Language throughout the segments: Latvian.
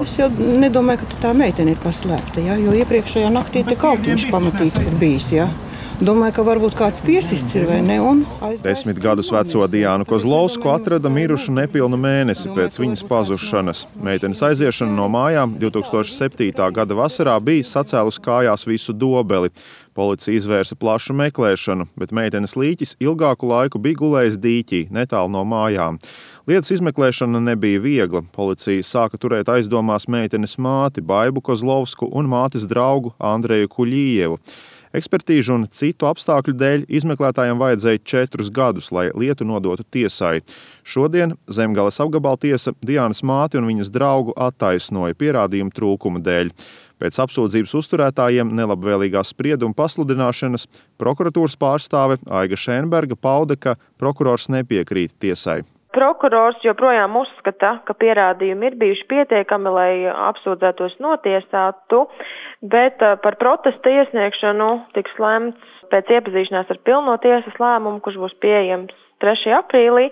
Es jau nedomāju, ka tā meitene ir paslēpta, ja? Jo iepriekšējā naktī te kautiņš pamatīgs ir bijis. Ja? Domāju, ka varbūt kāds piesists ir vai ne. 10 gadus veco Diānu Kozlovsku atrada mirušu nepilnu mēnesi pēc viņas pazušanas. Meitenes aiziešana no mājām 2007. gada vasarā bija sacēlus kājās visu Dobeli. Policija izvērsa plašu meklēšanu, bet meitenes līķis ilgāku laiku bija gulējis dīķī, netālu no mājām. Lietas izmeklēšana nebija viegla. Policija sāka turēt aizdomās meitenes māti Baibu Kozlovsku un mātes draugu Andreju Kuļījevu. Ekspertīžu un citu apstākļu dēļ izmeklētājiem vajadzēja 4 gadus, lai lietu nodotu tiesai. Šodien Zemgales apgabaltiesa Diānas māti un viņas draugu attaisnoja pierādījumu trūkuma dēļ. Pēc apsūdzības uzturētājiem nelabvēlīgās sprieduma pasludināšanas prokuratūras pārstāve Aiga Šēnberga pauda, ka prokurors nepiekrīt tiesai. Prokurors joprojām uzskata, ka pierādījumi ir bijuši pietiekami, lai apsūdzētos notiesātu, bet par protesta iesniegšanu tiks lemts pēc iepazīšanās ar pilno tiesas lēmumu, kurš būs pieejams 3. aprīlī,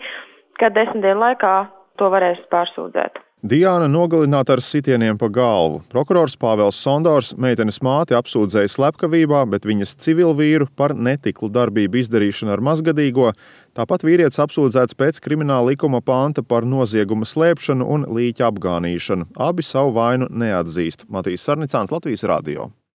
kad 10 dienu laikā to varēs pārsūdzēt. Diāna nogalināta ar sitieniem pa galvu. Prokurors Pāvels Sondors meitenes māti apsūdzēja slepkavībā, bet viņas civilvīru par netiklu darbību izdarīšanu ar mazgadīgo. Tāpat vīrietis apsūdzēts pēc krimināla likuma panta par nozieguma slēpšanu un līķa apgānīšanu. Abi savu vainu neatzīst. Matīs Sarnicāns, Latvijas radio.